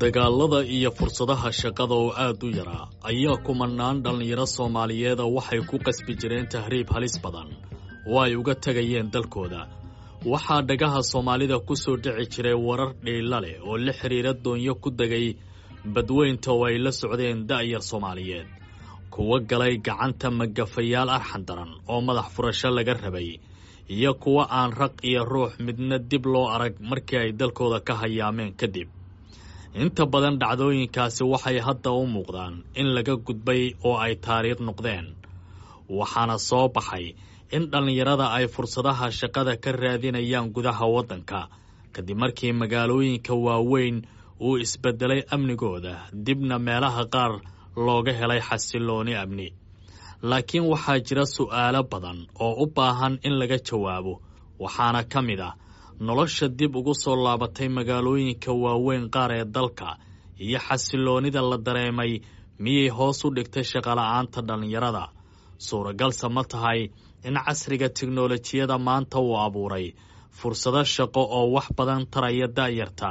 Dagaalada iyo fursadaha shaqada oo aad u yaraa ayaa kumanaan dhallinyaro Soomaaliyeeda waxay ku qasbi jireen tahriib halis badan oo ay uga tegayeen dalkooda. Waxaa dhagaha Soomaalida ku soo dhici jiray warar dhiila leh oo la xidhiira doonyo ku degay badweynta oo ay la socdeen da'yar Soomaaliyeed, kuwa galay gacanta magafayaal arxan daran oo madax furasho laga rabay, iyo kuwa aan raq iyo ruux midna dib loo arag markii ay dalkooda ka hayaameen kadib. Inta badan dhacdooyinkaasi waxay hadda u muuqdaan in laga gudbay oo ay taariikh noqdeen, waxaana soo baxay in dhallinyarada ay fursadaha shaqada ka raadinayaan gudaha waddanka kadib markii magaalooyinka waaweyn uu isbedelay amnigooda, dibna meelaha qaar looga helay xasillooni amni. Laakiin waxaa jira su'aalo badan oo u baahan in laga jawaabo, waxaana ka mid ah nolosha dib ugu soo laabatay magaalooyinka waaweyn qaar ee dalka iyo xasilloonida la dareemay miyay hoos u dhigtay shaqola'aanta dhallinyarada? Suuragalse ma tahay in casriga tiknolojiyada maanta uu abuuray fursado shaqo oo wax badan taraya da'yarta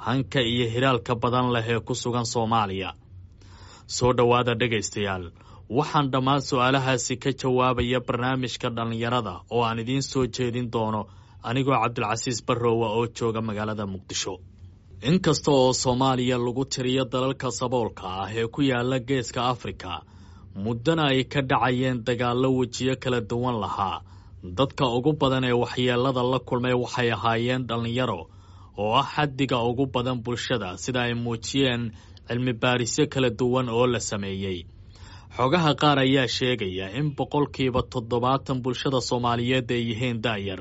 hanka iyo hiraalka badan leh ee ku sugan Soomaaliya? Soo dhowaada dhegaystayaal, waxaan dhammaan su'aalahaasi ka jawaabaya barnaamijka dhallinyarada oo aan idiin soo jeedin doono anigoo Cabdilcasiis Barrowa oo jooga magaalada Muqdisho. Inkasta oo Soomaaliya lagu tiriyo dalalka saboolka ah ee ku yaala geeska Afrika, muddana ay ka dhacayeen dagaallo wejiyo kala duwan lahaa, dadka ugu badan ee waxyeelada la kulmay waxay ahaayeen dhallinyaro oo ah xaddiga ugu badan bulshada, sida ay muujiyeen cilmi baarisyo kala duwan oo la sameeyey. Xogaha qaar ayaa sheegaya in 70% bulshada Soomaaliyeed ay yihiin da'yar,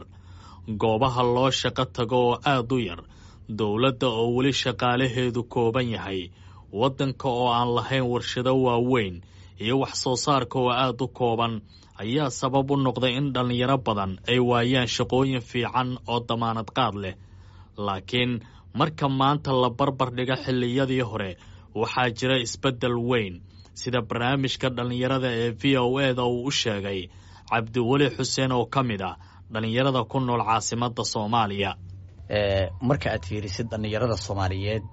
goobaha loo shaqo tago oo aad u yar, dowladda oo weli shaqaalaheedu kooban yahay, waddanka oo aan lahayn warshado waaweyn iyo wax soo saarka oo aad u kooban ayaa sabab u noqday in dhallinyaro badan ay waayaan shaqooyin fiican oo damaanad qaad leh. Laakiin marka maanta la barbar dhigo xilliyadii hore, waxaa jira isbeddel weyn, sida barnaamijka dhallinyarada ee VOA da uu u sheegay Cabdiweli Xuseen oo ka mid ah dhallinyarada ku nool caasimadda Soomaaliya. Marka aad fiirisid dhallinyarada Soomaaliyeed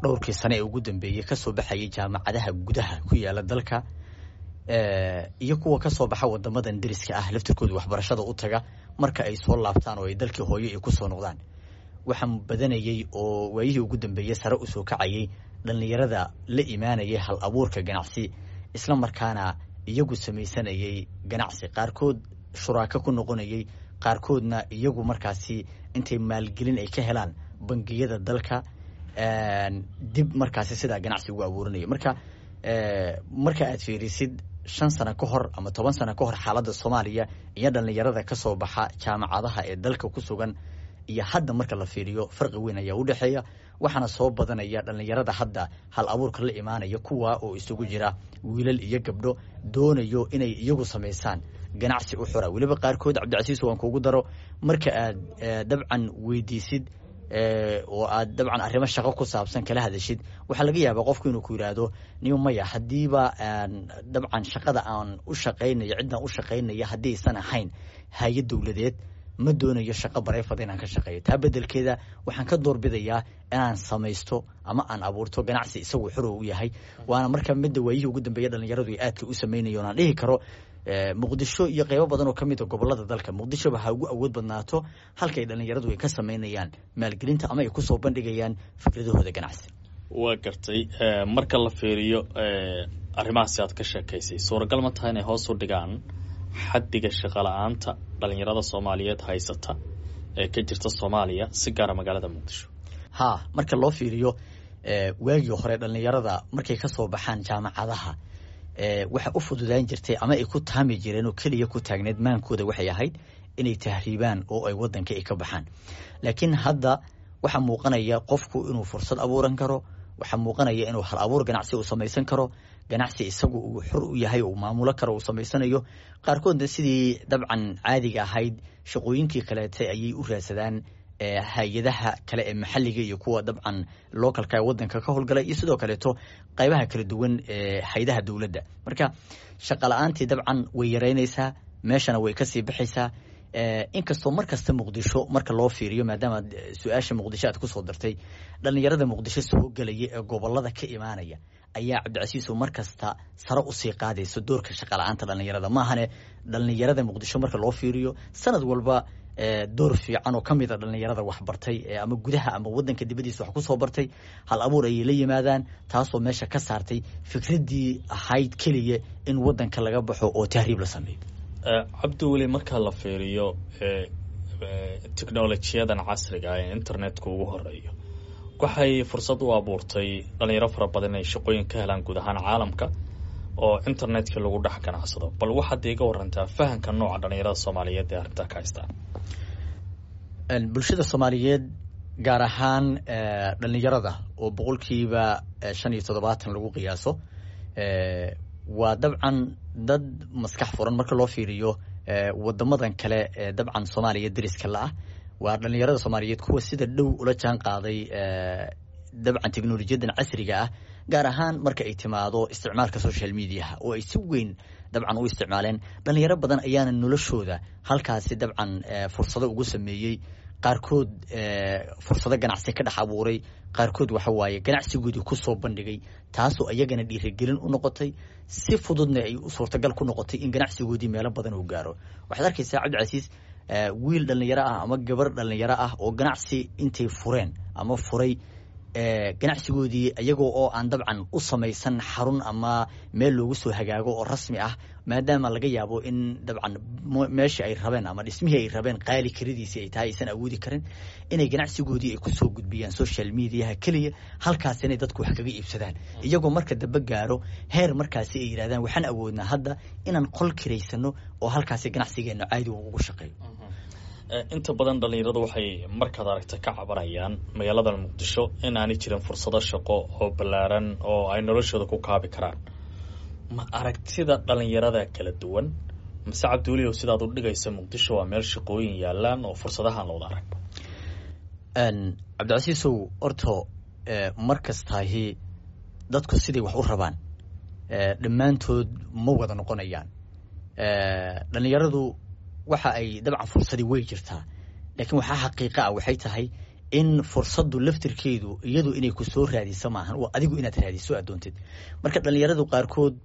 dhowrkii sane ee ugu dambeeyey kasoo baxayay jaamacadaha gudaha ku yaala dalka iyo kuwa kasoo baxa wadamadan deriska ah laftirkooda waxbarashada u taga, marka ay soo laabtaan oo ay dalkii hooyo ay kusoo noqdaan, waxaa badanayey oo waayihii ugu dambeeyey sare usoo kacayay dhallinyarada la imaanayay hal abuurka ganacsi, isla markaana iyagu samaysanayay ganacsi, qaarkood shuraako ku noqonayay, qaarkoodna iyagu markaasi intay maalgelin ay ka helaan bangiyada dalka dib markaasi sidaa ganacsi ugu abuuranaya. Marka aad fiirisid 5 sano ka hor ama 10 sano ka hor xaaladda Soomaaliya iyo dhallinyarada kasoo baxa jaamacadaha ee dalka ku sugan iyo hadda marka la fiiriyo, farqi weyn ayaa u dhexeeya. Waxaana soo badanaya dhallinyarada hadda hal abuurka la imaanaya, kuwa oo isugu jira wiilal iyo gabdho doonayo inay iyagu samaysaan ganacsi u xura. Weliba qaarkood, Cabdicasiis, waan kuugu daro, marka aad dabcan weydiisid oo aad dabcan arrimo shaqo ku saabsan kala hadashid, waxaa laga yaabaa qofku inuu ku yidhaahdo: "Niyo, maya, haddiiba dabcan shaqada aan u shaqaynayo, ciddaan u shaqaynaya haddii aysan ahayn hay-ad dowladeed, ma doonayo shaqo private inaan ka shaqeeyo. Taa bedelkeeda waxaan ka doorbidayaa inaan samaysto ama aan abuurto ganacsi isagu xor u yahay." Waana marka midda waayihii ugu dambeeya dhalinyaradu ay aadka u samaynayo aan dhihi karo Muqdisho iyo qeybo badan oo kamid a gobolada dalka, Muqdishoba ha ugu awood badnaato, halka ay dhalinyaradu ay ka samaynayaan maalgelinta ama ay kusoo bandhigayaan fikradahooda ganacsi. Waa gartay. Marka la fiiriyo arrimahaasi aad ka sheekaysay, suuragal ma tahay inay hoos u dhigaan xaddiga shaqo la-aanta dhalinyarada Soomaaliyeed haysata ee ka jirta Soomaaliya, si gaara magaalada Muqdisho? Ha, marka loo fiiriyo waagii hore dhalinyarada markay kasoo baxaan jaamacadaha, waxa u fududaan jirtay ama ay ku taami jireen oo keliya ku taagneed maankooda waxay ahayd inay tahriibaan oo ay wadanka ay ka baxaan. Laakiin hadda waxaa muuqanaya qofku inuu fursad abuuran karo, waxaa muuqanaya inuu hal abuur ganacsi uu samaysan karo, ganacsi isagu uu xor u yahay, uu maamulo karo, uu samaysanayo. Qaarkoodna sidii dabcan caadiga ahayd shaqooyinkii kaleete ayay u raadsadaan hay-adaha kale ee maxalliga iyo kuwa dabcan localka ee wadanka ka howlgalay, iyo sidoo kaleeto qaybaha kala duwan ee hay-adaha dowladda. Marka shaqa la-aantii dabcan way yaraynaysaa, meeshana way kasii baxaysaa. Inkastoo mar kasta Muqdisho marka loo fiiriyo, maadaama su-aasha Muqdisho aad kusoo dartay, dhalinyarada Muqdisho soo gelaya ee gobolada ka imaanaya ayaa, Cabdicasiiso, mar kasta sare usii qaadaysa doorka shaqala-aanta dhalinyarada. Maahane dhalinyarada Muqdisho marka loo fiiriyo sanad walba door fiican oo ka mid a dhalinyarada waxbartay ama gudaha ama wadanka dibadiisa wax kusoo bartay hal abuur ayay la yimaadaan, taasoo meesha ka saartay fikraddii ahayd keliya in wadanka laga baxo oo tahriib la sameeyo. Cabdiweli, marka la fiiriyo technolojiyadan casriga ee internetka ugu horeeyo, waxay fursad u abuurtay dhalinyaro fara badan inay shaqooyin ka helaan guud ahaan caalamka oo internetka lagu dhex ganacsado. Bal waxaad iiga warantaa fahamka nooca dhalinyarada Soomaaliyeed ee arrintaa ka haystaan. Bulshada Soomaaliyeed, gaar ahaan dhalinyarada oo 75% lagu qiyaaso, waa dabcan dad maskax furan marka loo fiiriyo wadamadan kale ee dabcan Soomaaliya deriska la ah. Waa dhalinyarada Soomaaliyeed kuwa sida dhow ula jaan qaaday dabcan teknolojiyadan casriga ah, gaar ahaan marka ay timaado isticmaalka social mediaha oo ay si weyn dabcan u isticmaaleen. Dhalinyaro badan ayaana noloshooda halkaasi dabcan fursado ugu sameeyey, qaarkood fursado ganacsi ka dhex abuuray, qaarkood waxa waaye ganacsigoodii kusoo bandhigay, taasoo iyagana dhiirigelin u noqotay, si fududna ay suurtagal ku noqotay in ganacsigoodii meelo badan uu gaaro. Waxaad arkaysaa, Cabdicasiis, wiil dhalinyaro ah ama gabar dhalinyaro ah oo ganacsi intay fureen ama furay ganacsigoodii, iyagoo oo aan dabcan u samaysan xarun ama meel loogu soo hagaago oo rasmi ah, maadaama laga yaabo in dabcan meeshii ay rabeen ama dhismihii ay rabeen qaali karidiisii ay tahay, aysan awoodi karin inay ganacsigoodii ay kusoo gudbiyaan social mediaha keliya, halkaas inay dadku wax kaga iibsadaan, iyagoo marka dambe gaaro heer markaasi ay yidhahdaan waxaan awoodnaa hadda inaan qol kiraysano oo halkaasi ganacsigeena caadi ugu shaqeeyo. Inta badan dhalinyaradu waxay markaad aragta ka cabanayaan magaalada Muqdisho in aanay jirin fursado shaqo oo ballaaran oo ay noloshooda ku kaabi karaan. Ma aragtida dhalinyarada kala duwan mase, Cabdiweli, oo sidaad u dhigaysa Muqdisho waa meel shaqooyin yaalaan oo fursadahaan looda arag? Cabdicasiisow, orto mar kastaahi dadku siday wax u rabaan dhammaantood ma wada noqonayaan. Dhalinyaradu waxa ay dabcan fursadii way jirtaa, laakiin waxaa xaqiiqa ah waxay tahay in fursaddu laftirkeedu iyadu inay ku soo raadiso maahan, waa adigu inaad raadiso aad doontid. Marka dhalinyaradu qaarkood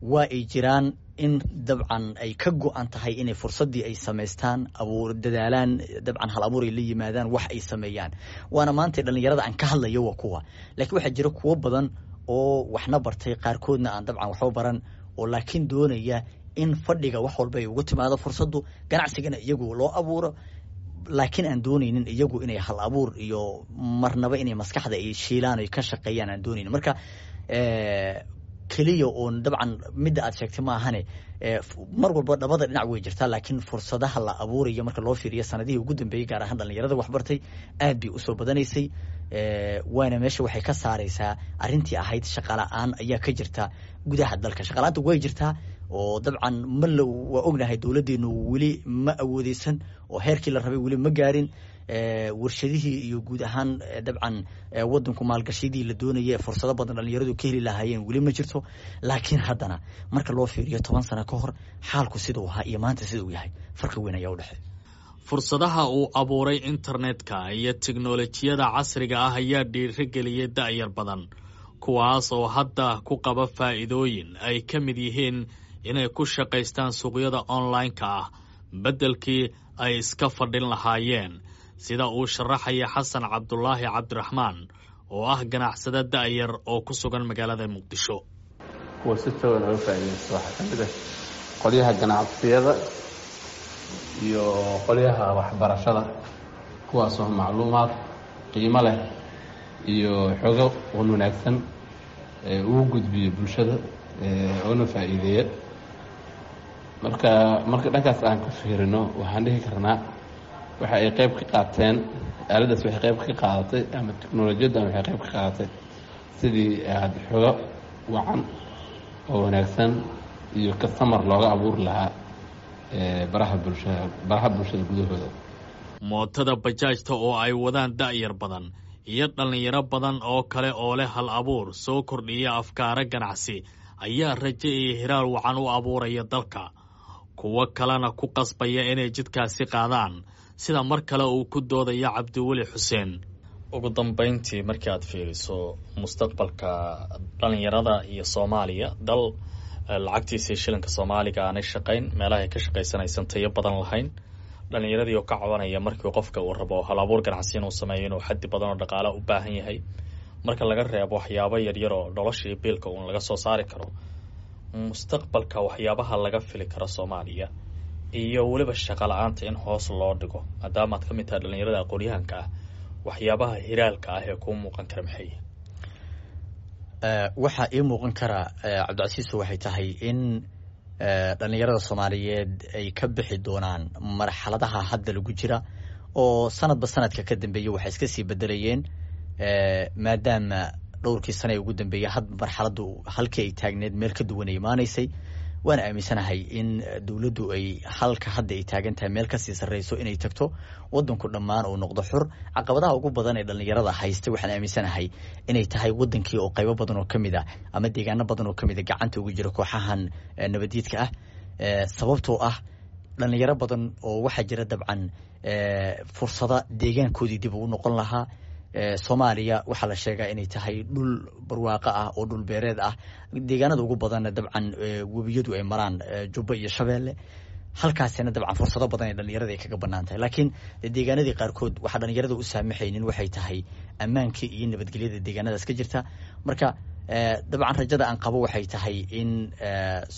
waa ay jiraan in dabcan ay ka go-an tahay inay fursaddii ay samaystaan, abuur dadaalaan, dabcan hal abuur ay la yimaadaan, wax ay sameeyaan. Waana maanta dhalinyarada aan ka hadlayo waa kuwa, laakiin waxaa jira kuwo badan oo waxna bartay, qaarkoodna aan dabcan waxba baran oo laakiin doonaya in fadhiga wax walba ay ugu timaado fursaddu, ganacsigana iyagu loo abuuro, laakiin aan doonaynin iyagu inay hal abuur iyo marnaba inay maskaxda ay shiilaan oy ka shaqeeyaan aan doonaynin. Marka keliya oon dabcan midda aad sheegtay maahane, mar walba dhabada dhinac way jirtaa, laakiin fursadaha la abuurayo marka loo fiiriyo sanadihii ugu dambeeyey, gaar ahaan dhalinyarada waxbartay, aad bay usoo badanaysay. Waana meesha waxay ka saaraysaa arrintii ahayd shaqala-aan ayaa ka jirta gudaha dalka. Shaqala-aanta way jirtaa oo dabcan ma la waa ognahay, dowladdeenu weli ma awoodeysan oo heerkii la rabay weli ma gaarin warshadihii iyo guud ahaan dabcan wadanku maalgashiyadii la doonaya ee fursado badan dhalinyaradu ka heli lahaayeen weli ma jirto. Laakiin haddana marka loo fiiriyo 10 sano ka hor xaalku siduu ahaa iyo maanta sida uu yahay, farqi weyn ayaa u dhexeeya. Fursadaha uu abuuray internetka iyo teknolojiyada casriga ah ayaa dhiirigeliyay da'yar badan, kuwaas oo hadda ku qaba faa'iidooyin ay ka mid yihiin inay ku shaqaystaan suuqyada online-ka ah beddelkii ay iska fadhin lahaayeen, sida uu sharaxaya Xasan Cabdulaahi Cabdiraxmaan oo ah ganacsade da'yar oo ku sugan magaalada Muqdisho. Kuwa si togan oga faa'iidaysta waxaa ka mid ah qolyaha ganacsiyada iyo qolyaha waxbarashada, kuwaasoo macluumaad qiimo leh iyo xogo wan wanaagsan ugu gudbiyo bulshada oona faa'iideeya. Marka dhankaas aan ka fiirino, waxaan dhihi karnaa waxa ay qayb ka qaateen aaladdaas, waxay qayb ka qaadatay ama teknolojiyaddan waxay qayb ka qaadatay sidii aada xogo wacan oo wanaagsan iyo customer looga abuuri lahaa baraha bulshada, baraha bulshada gudahooda. Mootada bajaajta oo ay wadaan da'yar badan iyo dhallinyaro badan oo kale oo leh hal abuur soo kordhiya afkaara ganacsi ayaa rajo iyo hiraal wacan u abuuraya dalka. Kuwo kalena ku qasbaya inay jidkaasi qaadaan, sida mar kale uu ku doodaya Cabdiweli Xuseen. Ugu dambeyntii, markii aad fiiriso mustaqbalka dhalinyarada iyo Soomaaliya, dal lacagtiisii shilinka Soomaaliga aanay shaqayn, meelaha ay ka shaqaysanaysan tayo badan lahayn, dhalinyaradii oo ka cabanaya markii qofka uu rabo hal abuur ganacsi inuu sameeyo inuu xaddi badan oo dhaqaale u baahan yahay, marka laga reebo waxyaabo yaryar oo noloshii biilka uun laga soo saari karo, mustaqbalka waxyaabaha laga fili karo Soomaaliya iyo weliba shaqo la-aanta in hoos loo dhigo, maadaama aad ka mid tahay dhalinyarada aqoon-yahanka ah, waxyaabaha hiraalka ah ee kuu muuqan kara maxay? Waxaa ii muuqan kara, Cabdicasiiso, waxay tahay in dhalinyarada Soomaaliyeed ay ka bixi doonaan marxaladaha hadda lagu jira, oo sanadba sanadka ka dambeeya waxay iska sii bedelayeen, maadaama dhowrkii sana ee ugu dambeeyay had marxaladdu halkii ay taagneed meel ka duwan ay imaanaysay. Waana aaminsanahay in dowladdu ay halka hadda ay taagan tahay meel kasii sarreyso inay tagto, wadanku dhammaan uu noqdo xur. Caqabadaha ugu badan ee dhalinyarada haysta waxaan aaminsanahay inay tahay wadankii oo qaybo badan oo kamid ah ama deegaano badan oo kamid a gacanta ugu jira kooxahan nabadiidka ah, sababtoo ah dhalinyaro badan oo waxaa jira dabcan fursada deegaankoodii dib ugu noqon lahaa. Soomaaliya waxaa la sheegaa inay tahay dhul barwaaqo ah oo dhul beereed ah, deegaanada ugu badanna dabcan webiyadu ay maraan, Jubba iyo Shabeelle. Halkaasina dabcan fursado badan ee dhalinyarada ay kaga banaan tahay, laakiin deegaanadii qaarkood waxaa dhalinyarada u saamaxaynin waxay tahay ammaankii iyo nabadgelyada deegaanadaas ka jirta. Marka dabcan rajada aan qabo waxay tahay in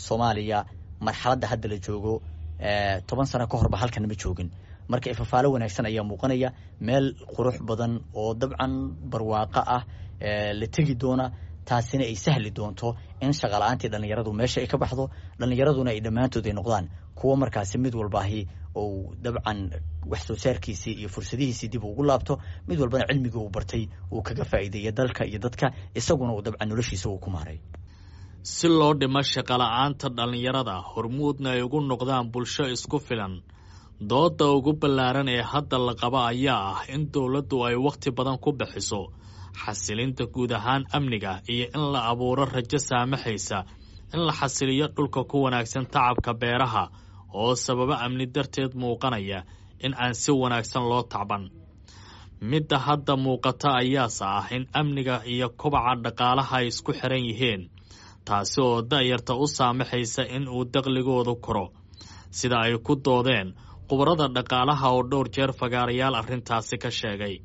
Soomaaliya marxaladda hadda la joogo 10 sano ka horba halkan ma joogin. Marka ifafaalo wanaagsan ayaa muuqanaya, meel qurux badan oo dabcan barwaaqo ah la tegi doona, taasina ay sahli doonto in shaqala-aantii dhalinyaradu meesha ay ka baxdo, dhalinyaraduna ay dhammaantood ay noqdaan kuwo markaasi mid walbaahi ou dabcan wax soo saarkiisii iyo fursadihiisii dib ugu laabto, mid walbana cilmigii uu bartay uu kaga faa'iideeya dalka iyo dadka, isaguna uu dabcan noloshiisa uu ku maaray. Si loo dhimo shaqala-aanta dhallinyarada, hormuudna ay ugu noqdaan bulsho isku filan, dooda ugu ballaaran ee hadda la qaba ayaa ah in dowladdu ay wakhti badan ku bixiso xasilinta guud ahaan amniga iyo in la abuuro rajo saamaxaysa in la xasiliyo dhulka ku wanaagsan tacabka beeraha oo sababo amni darteed muuqanaya in aan si wanaagsan loo tacban. Midda hadda muuqata ayaase ah in amniga iyo kobaca dhaqaalaha ay isku xiran yihiin, taasi oo da'yarta u saamaxaysa in uu daqligoodu koro, sida ay ku doodeen khubarada dhaqaalaha oo dhowr jeer fagaarayaal arrintaasi ka sheegay.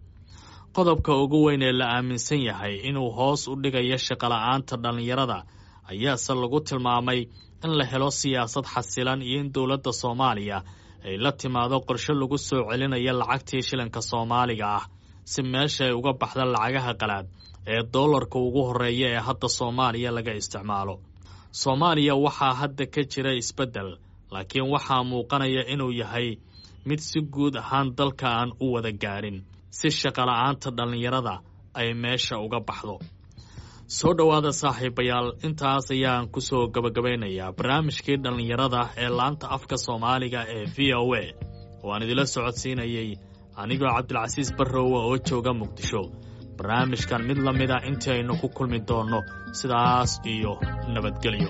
Qodobka ugu weyn ee la aaminsan yahay inuu hoos u dhigayo shaqola'aanta dhallinyarada ayaase lagu tilmaamay in la helo siyaasad xasilan iyo in dowladda Soomaaliya ay la timaado qorshe lagu soo celinayo lacagtii shilinka Soomaaliga ah, si meesha ay uga baxda lacagaha qalaad ee doolarka ugu horreeya ee hadda Soomaaliya laga isticmaalo. Soomaaliya waxaa hadda ka jira isbeddel, laakiin waxaa muuqanaya inuu yahay mid si guud ahaan dalka aan u wada gaarin si shaqola'aanta dhallinyarada ay meesha uga baxdo. Soo dhowaada saaxiibayaal, intaas ayaan kusoo gabagabaynayaa barnaamijkii dhallinyarada ee laanta afka Soomaaliga ee VOA, oo aan idila socodsiinayay anigoo Cabdilcasiis Barrowa oo jooga Muqdisho. Barnaamijkan mid la mid a intii aynu ku kulmi doonno, sidaas iyo nabadgelyo.